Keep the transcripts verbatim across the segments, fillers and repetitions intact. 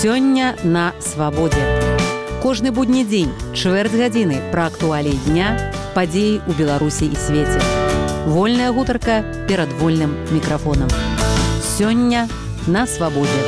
Сёння на свабодзе. Кожны будні дзень, чвэрць гадзіны пра актуаліі дня, падзеі ў Беларусі і свеце. Вольная гутарка перад вольным мікрафонам. Сёння на свабодзе.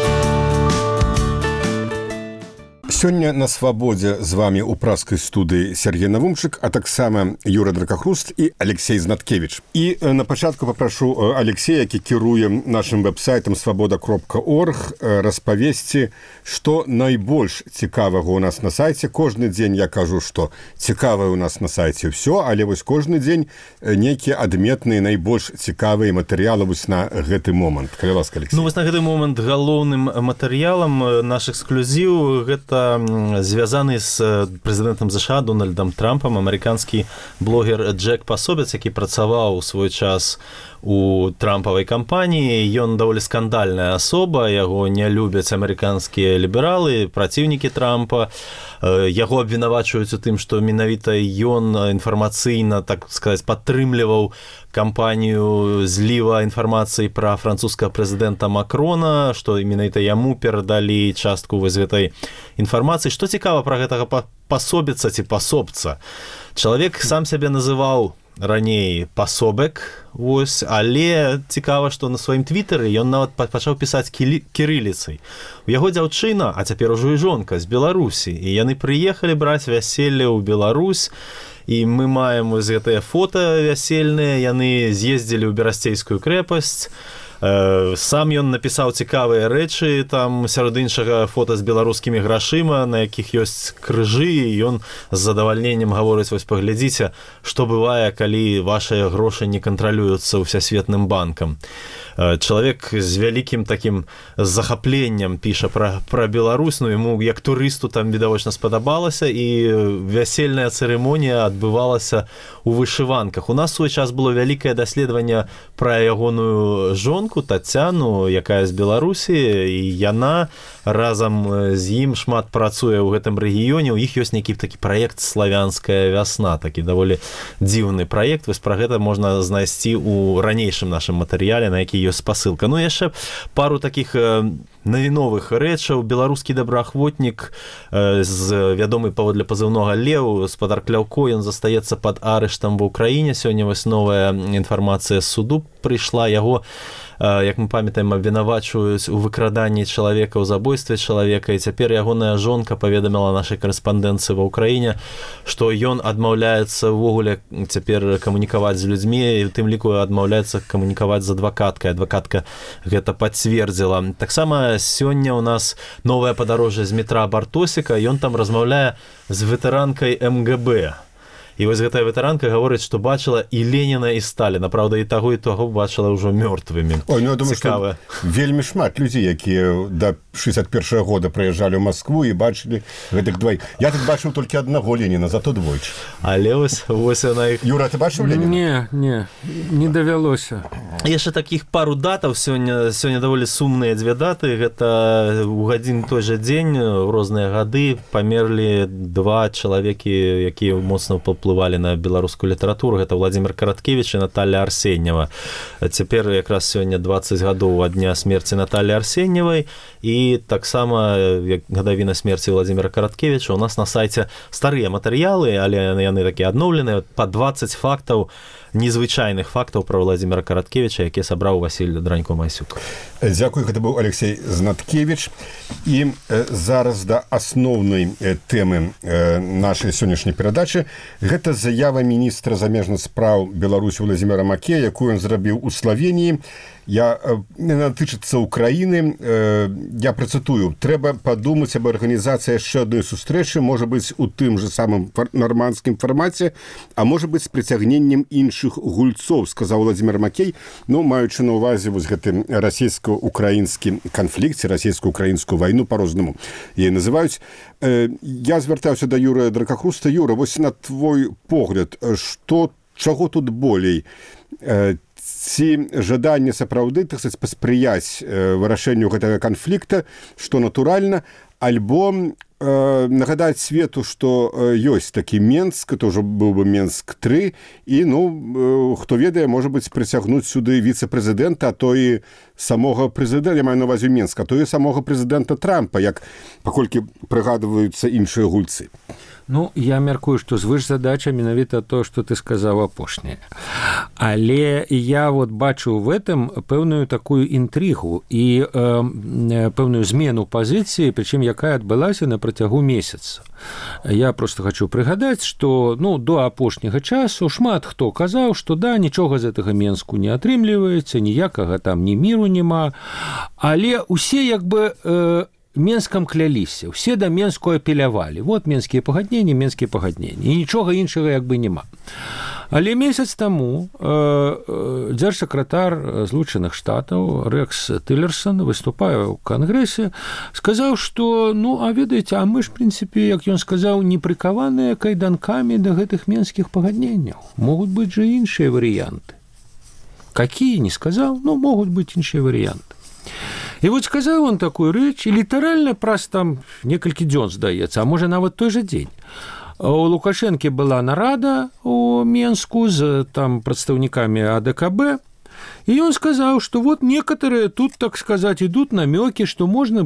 Сёння на свабодзе з вами ў праскай студыі Сергей Навумчык, а таксама Юра Дракахруст і Алексей Знаткевич. І на пачатку папрашу Алексея, які кіруе нашым вэб-сайтам свабода кропка орг, распавесці, што найбольш цікавага ў нас на сайце. Кожны дзень я кажу, што цікавае ў нас на сайце ўсё, але вось кожны дзень нейкія адметныя, найбольш цікавыя матэрыялы вось на гэты момант. Калі ласка, Алексей. Ну, вось на гэты момант галоўным матэрыялам наш эксклюзіў гэта звязаны з прэзідэнтам ЗША Дональдам Трампам амерыканскі блогер Джек Пасобец, які працаваў у свой час у трампавай кампаніі. Ён даволі скандальная асоба, яго не любяць амерыканскія лібералы, праціўнікі Трампа. Яго абвінавачваюць у тым, што менавіта ён інфармацыйна, так сказаць, падтрымліваў кампанію зліва інфармацыі пра французскага прэзідэнта Макрона, што менавіта яму перадалі частку вось гэтай інфармацыі. Што цікава пра гэтага пасобіца ці пасобца? Чалавек сам сябе называў раней пасобек, вось, але цікава, што на сваім твітары ён нават пачаў пісаць кірыліцай. У яго дзяўчына, а цяпер ужо і жонка з Беларусі, і яны прыехалі браць вяселле ў Беларусь, і мы маем вось гэтыя фота вясельныя, яны з'ездзілі ў Берасцейскую крэпасць. Сам ён напісаў цікавыя рэчы, там сярод іншага фота з беларускімі грашыма, на якіх ёсць крыжы, і ён з задавальненнем гаворыць, вось паглядзіце, што бывае, калі вашыя грошы не кантралююцца ўсясветным банкам. Чалавек з вялікім такім захапленнем піша пра, пра Беларусь, ну яму як турысту там відавочна спадабалася, і вясельная цырымонія адбывалася ў вышыванках. У нас у свой час было вялікае даследаванне пра ягоную жонку Тацяну, якая з Беларусі, і яна разам з ім шмат працуе ў гэтым рэгіёне. У іх ёсць нейкі такі праект «Славянская вясна», такі даволі дзіўны праект. Вось пра гэта можна знайсці ў ранейшым нашым матэрыяле, на які ёсць спасылка. Ну, яшчэ пару такіх навіновых рэчаў. Беларускі добраахвотнік з вядомы паводле пазыўнога Леў, спадар Кляўко, ён застаецца пад арыштам ва ўкраіне. Сёння вось новая інфармацыя з суду прыйшла. Яго, як мы памятаем, абвінавачваюць у выкраданні чалавека, у забойстве чалавека, і цяпер ягоная жонка паведаміла нашай карэспандэнцыі ва ўкраіне, што ён адмаўляецца ўвогуле цяпер камунікаваць з людзьмі, і ў тым ліку адмаўляецца камунікаваць з адвакаткай. Адвакатка гэта пацвердзіла. Таксама сёння ў нас новае падарожжа з метра Бартосіка, ён там размаўляе з ветэранкай эм гэ бэ. І вось гэтая ветэранка гаворыць, што бачыла і Леніна, і Сталіна. Правда, і таго, і таго бачыла ўжо мёртвымі. Ой, ну я думаю, што вельмі шмат людзей, якія да шэсцьдзесят першага года прыязджалі ў Маскву і бачылі гэтых дваіх. Я тут бачыў толькі аднаго Леніна, зато двойчы. Але вось, вось яна іх... Юра, ты бачыў Леніна? Не, не, не давялося. Яшчэ такіх пару датаў сёння, сёння даволі сумныя дзве даты. Гэта ў гадзін той жа дзень, у розныя гады памерлі два чалавекі, якія моцна уплывалі на беларускую літаратуру. Гэта Владзімир Караткевіч і Наталья Арсеньева. Цяпер якраз сёння дваццаць гадоў ад дня смерці Натальи Арсеньевай, і таксама гадавіна смерці Владзімира Караткевіча. У нас на сайце старыя матэрыялы, але яны такія адноўленыя, па дваццаць фактаў, незвычайных фактаў пра Владзімира Караткевіча, які сабраў Васіль Дранько-Масюк. Дзякуй, гэта быў Алексей Знаткевич. І э, зараз да асноўнай э, тэмы э, нашай сённяшняй перадачы. Гэта заява міністра замежных спраў Беларусі Владзіміра Макея, якую ён зрабіў у Славеніі. Я не натычыцца Украіны. Э, я працытую: трэба падумаць аб арганізацыі яшчэ адной сустрэчы, можа быць, у тым же самым нармандскім фармаце, а можа быць, з прыцягненнем іншых гульцоў, сказаў Владзімир Макей, ну, маючы на ўвазе вось гэты расійска-украінскі канфлікт, расійска-украінскую вайну, па-рознаму яе называюць. Э, я звяртаўся да Юрыя Дракахруста. Юра, вось на твой погляд, што, чаго тут болей? Э, ці жаданне сапраўды, так сказаць, паспрыяць э, вырашэнню гэтага канфлікта, што натуральна, альбо э, нагадаць свету, што э, ёсць такі Менск, это ўжо быў бы Менск тры, і, ну, э, хто ведае, можа быць, прыцягнуць сюды віцэ-прэзідэнта, а то і самога прэзідэнта, я маю на ўвазе Менска, а то і самога прэзідэнта Трампа, як паколькі прыгадваюцца іншыя гульцы. Ну, я мяркую, што звышзадача менавіта то, што ты сказаў апошняе. Але я вот бачу в этом пэўную такую інтрыгу і э, пэўную змену пазіцыі, прычым якая адбылася на працягу месяца. Я просто хочу прыгадаць, што ну, до апошняга часу шмат хто казаў, што да, нічога з гэтага Менску не атрымліваецца, ніякага там ні міру няма, але усе як бы э, Менскам кляліся, усе да Менску апелявалі. Вот менскія пагадненні, менскія пагадненні. І нічога іншага як бы няма. Але месяц таму э, э, дзяржсакратар Злучаных Штатаў Рекс Тиллерсон, выступая ў Кангрэсе, сказаў, што, ну, а ведаеце, а мы ж, в прынцыпе, як ён сказаў, не прыкаваныя кайданкамі да гэтых менскіх пагадненняў. Могуць быць жа іншыя варыянты. Какие, не сказаў, но могуць быць іншыя варыянты. І вот сказаў он такую рэч, і літаральна праз там некалькі дзён, здаецца, а можа нават той жа дзень. У Лукашэнкі была нарада у Менску з там прадстаўнікамі А Дэ Ка Бэ, и он сказал, что вот некоторые тут, так сказать, идут намеки, что можно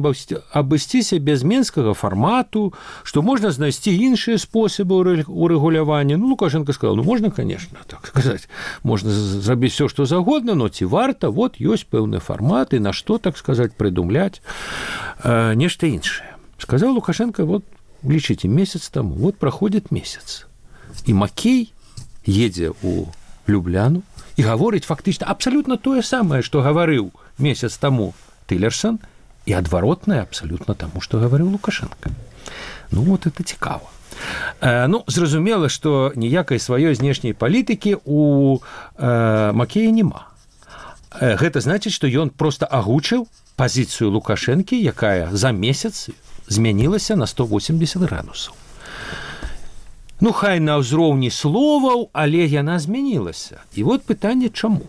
обойтись без менского формату, что можно знайти іншыя способы урегулявання. Ну, Лукашенко сказал, ну, можно, конечно, так сказать, можно зрабіць все, что загодно, но ці варта, вот ёсць пэўны формат, и на что, так сказать, придумлять э, нешта іншае. Сказал Лукашенко, вот, лічыце, месяц тому, вот проходит месяц, и Макей едзе у Любляну, і гаворыць фактычна абсалютна тое самае, што гаварыў месяц таму Тиллерсон, і адваротнае абсалютна таму, што гаварыў Лукашенко. Ну, вот это цікава. Э, ну, зразумела, што ніякай сваёй знешняй палітыкі у э, Макея няма. Э, гэта значыць, што ён проста агучыў пазіцыю Лукашэнкі, якая за месяц змянілася на сто восемьдесят градусаў. Ну, хай на ўзроўні словаў, але яна змянілася. І вот пытанне, чаму?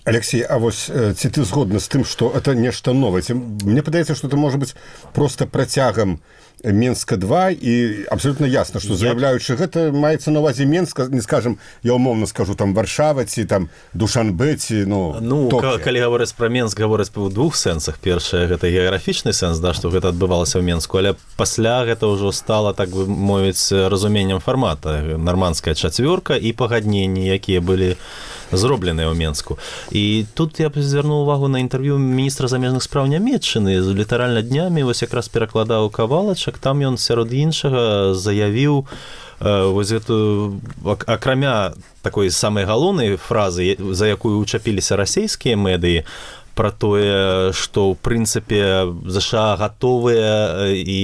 Алексей, а вось ці ты згодны з тым, што это нешта новае? Мне падаецца, што это можа быць проста працягам Менска два, і абсолютно ясно, што заяўляючы гэта маецца на ўвазе Менска, не скажем, я умоўна скажу, там Варшава ці там Душанбе ці, ну, ну Токіо. Калі гаворыць пра Менск, гаворыць па двух сэнсах. Першае, гэта геаграфічны сэнс, да, што гэта адбывалася ў Менску, але пасля гэта ўжо стала, так бы мовіць, разуменнем фармата. Нармандская чацвёрка і пагадненні, якія былі зробленыя ў Менску. І тут я б звярнуў увагу на інтэрв'ю міністра замежных спраў Нямецчыны. Літаральна днямі вось якраз перакладаў Кавалачак, там ён сярод іншага заявіў вось гэту, акрамя такой самай галоўнай фразы, за якую учапіліся расійскія медыі, про тое, што ў прынцыпе ЗША гатовыя і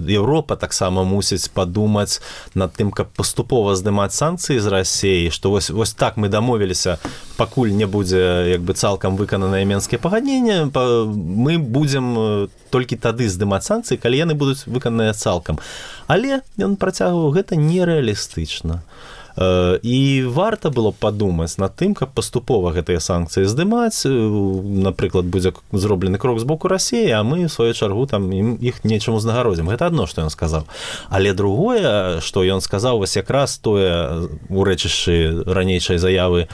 Еўропа таксама мусіць падумаць над тым, каб паступова здымаць санкцыі з Расіі, што вось, вось так мы дамовіліся, пакуль не будзе як бы цалкам выкананыя менскія пагадненні, мы будзем толькі тады здымаць санкцыі, калі яны будуць выкананыя цалкам. Але ён працягваў, гэта нерэалістычна. І варта было падумаць над тым, каб паступова гэтыя санкцыі здымаць. Напрыклад, будзе зроблены крок з боку Расіі, а мы, в сваю чаргу, там, іх нечым узнагародзім. Гэта адно, што ён сказаў. Але другое, што ён сказаў, вось якраз тое у рэчышчы ранейшай заявы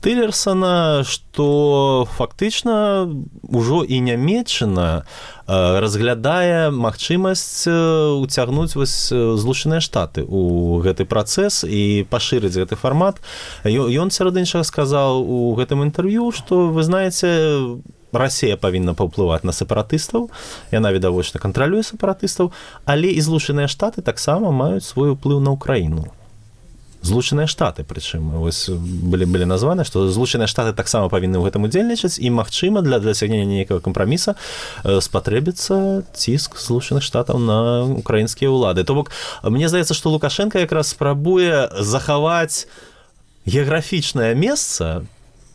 Тиллерсона, што фактычна ўжо і Нямецчына разглядае магчымасць уцягнуць вось Злучаныя Штаты у гэты працэс і пашырыць гэты фармат. Ён сярод іншага сказаў у гэтым інтэрв'ю, што, вы знаеце, Расія павінна паўплываць на сепаратыстаў, яна відавочна кантралюе сепаратыстаў, але і Злучаныя Штаты таксама маюць свой уплыў на Ўкраіну. Злучаныя Штаты, прычым, вось былі, былі названы, што Злучаныя Штаты таксама павінны ў гэтым удзельнічаць, і, магчыма, для дасягнення нейкага кампраміса спатрэбіцца ціск Злучаных Штатаў на украінскія ўлады. То бок, мне здаецца, што Лукашенко якраз спрабуе захаваць геаграфічнае месца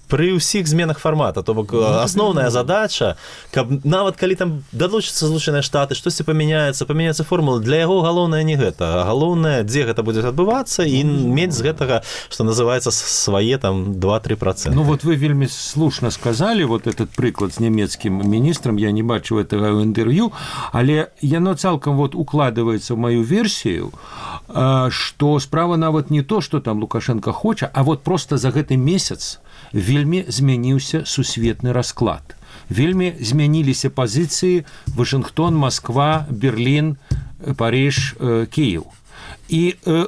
пры ўсіх зменах фармата, то бок асноўная задача, каб нават калі там далучацца Злучаныя Штаты, штосьці памяняецца, памяняецца формула, для яго галоўнае не гэта, а галоўнае, дзе гэта будзе адбывацца і мець з гэтага, што называецца, свае там два-тры проценты. Ну вот вы вельмі слушна сказалі вот этот прыклад з нямецкім міністрам, я не бачу гэтага ў інтэрв'ю, але яно цалкам вот укладываецца ў маю версію, што справа нават не то, што там Лукашенко хоча, а вот просто за гэты месяц вельмі змяніўся сусветны расклад. Вельмі змяніліся пазіцыі Вашынгтон, Москва, Берлін, Париж, Кіев. І э,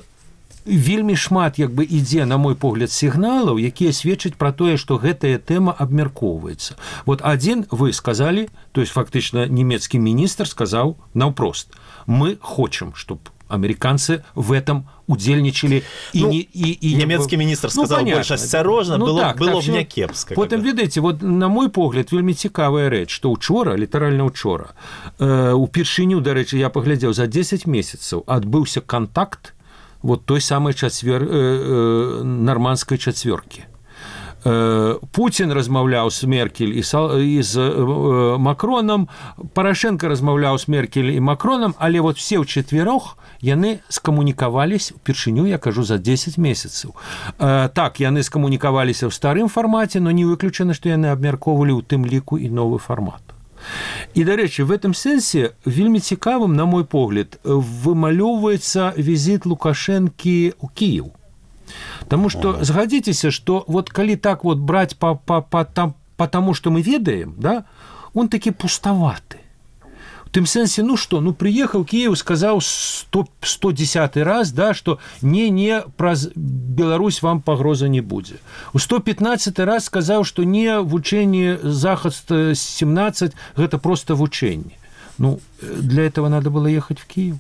вельмі шмат як бы ідзе, на мой погляд, сігналаў, якія сведчаць пра тое, што гэтая тэма абмяркоўваецца. Вот адзін вы сказалі, то есть фактычна нямецкі міністр сказаў наўпрост: мы хочам, чтоб американцы в этом удзельнічалі. Ну, і, і, і нямецкі міністр сказаў ну, больш асцярожна, ну, было, так, было так, б не кепска. Потым, ведаеце, вот, на мой погляд, вельмі цікавая рэч, што ўчора, літаральна ўчора, э, упершыню, дарэчы, я паглядзеў, за дзесяць месяцаў адбыўся кантакт вот той самай чацвер... э, э, нарманскай чацвёркі. Путін размаўляў з Меркель і з Макронам, Парашенко размаўляў з Меркель і Макронам, але вот все ўчетверох яны скамунікаваліся упершыню, я кажу, за дзесяць месяцаў. Так, яны скамунікаваліся ў старым фармаце, но не выключана, што яны абмяркоўвалі ў тым ліку і новы фармат. І, дарэчы, в этом сэнсе вельмі цікавым, на мой погляд, вымалёўваецца візіт Лукашэнкі ў Кіев. Потому что, згадзіцеся, что вот калі так вот брать по, по, по, там, по тому, что мы ведаем, да, он таки пустоваты. В тым сэнсе, ну что, ну приехал Киев, сказал сто, сто десятый раз, да, что не-не, праз Беларусь вам пагроза не будзе. У сто пятнадцатый раз сказал, что не вучэнне Захад семнадцать, гэта просто вучэнне. Ну, для этого надо было ехать в Киев.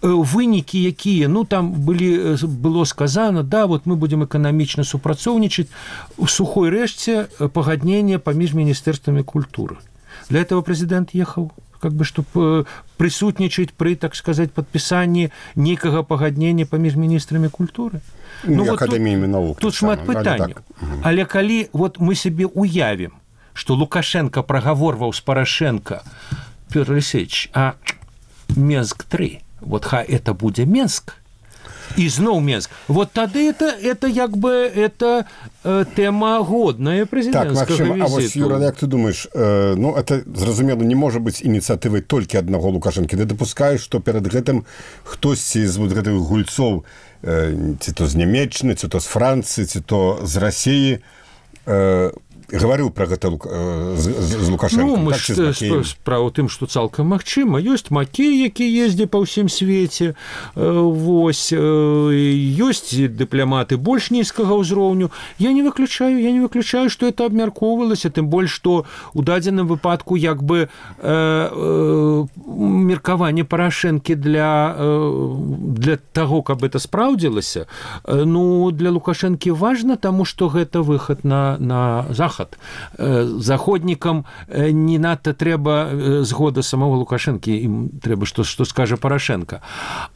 Вынікі якія, ну, там были, было сказано, да, вот мы будем экономично супрацоўнічаць, у сухой рэшце пагаднение паміж міністэрствамі культуры. Для этого президент ехал, как бы, чтобы присутнічаць при, так сказать, подписании некага пагаднення паміж міністрамі культуры. Ну, ну акадэміямі вот навук. Тут шмат пытанняў. Так. Але калі вот мы себе уявим, что Лукашенко прогаворваў с Порошенко: Петр Алексеевич, а Менск-три, вот хай это будзе Менск, и зноў Менск. Вот тады это, это як бы, это э, тема годная президентского так, Максим, визиту. А вот, Юра, як ты думаешь, э, ну, это, зразумела, не может быть инициативой только одного Лукашенко. Ты допускаешь, что перед гэтым хтосьці з вот гэтых гульцов, э, ці то з Нямеччыны, ці то з Францыі, ці то з России, э, говорил про гэта э, з, з Лукашенко. Ну, мы так, ж справа тым, што цалкам магчыма. Ёсць Макей, які ездзе па ўсім свеце, вось, ёсць дыпламаты больш нізкага ўзроўню. Я не выключаю, я не выключаю, што это абмяркоўвалася, тым больш, што ў дадзеным выпадку як бы э, э, меркаванне Парашэнкі для, э, для таго, каб это спраўдзілася, э, ну, для Лукашэнкі важна, таму што гэта выхад на, на захад. Заходнікам не надта трэба згода самого Лукашэнкі, ім трэба, што, што скажа Парашенко.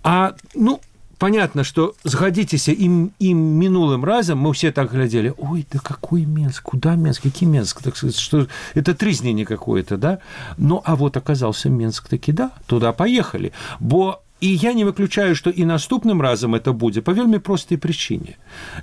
А, ну, понятно, что, сгодитесь, им, им минулым разом мы все так глядели: ой, да какой Минск, куда Минск, какой Минск, так сказать, что это тризнение какое-то, да? Ну, а вот оказался Минск таки, да, туда поехали. Бо и я не выключаю, что и наступным разом это будет по вельмі простой причине.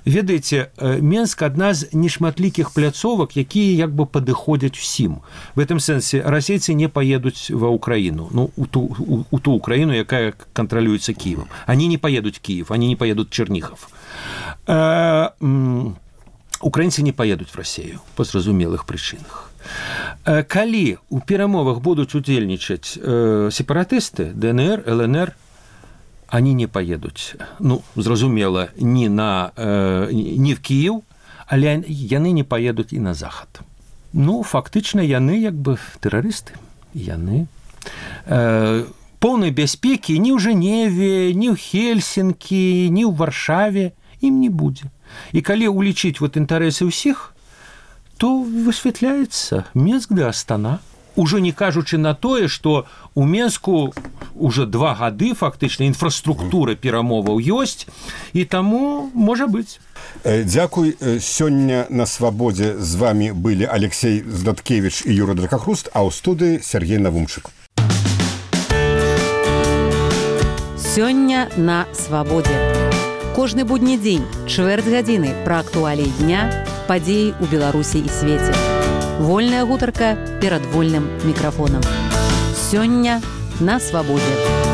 Ведаеце, Менск одна з нешматлікіх пляцовак, якія як бы падыходзяць усім. В этом сэнсе расейцы не поедуць ва Украину, ну, у ту, у, у ту Украину, якая контролюется Киевом. Они не поедут в Киев, они не поедут в Чернигов. А, м- украинцы не поедут в Россию по зразумелых причинах. А, калі у перамовах будуць удзельнічаць э, сепаратысты, ДНР, ЛНР, они не поедут, ну, зразумела, не, на, э, не в Киев, але яны не поедут и на Захад. Ну, фактично, яны, як бы, террористы. Яны. Э, полной бяспеки ни в Женеве, ни в Хельсинки, ни в Варшаве им не будет. И коли уличить вот интересы всех, то высветляется Минск да Астана. Ужо не кажучы на тое, што у Менску уже два гады фактычна інфраструктура перамоваў ёсць, і таму можа быць. Дзякуй. Сёння на свабодзе з вами былі Алексей Знаткевич і Юра Дракахруст, а ў студыі Сергей Навумчык. Сёння на свабодзе. Кожны будні дзень, чвэрць гадзіны пра актуаліі дня, падзеі ў Беларусі і свеце. Вольная гутарка перад вольным мікрафонам. Сёння на свабодзе.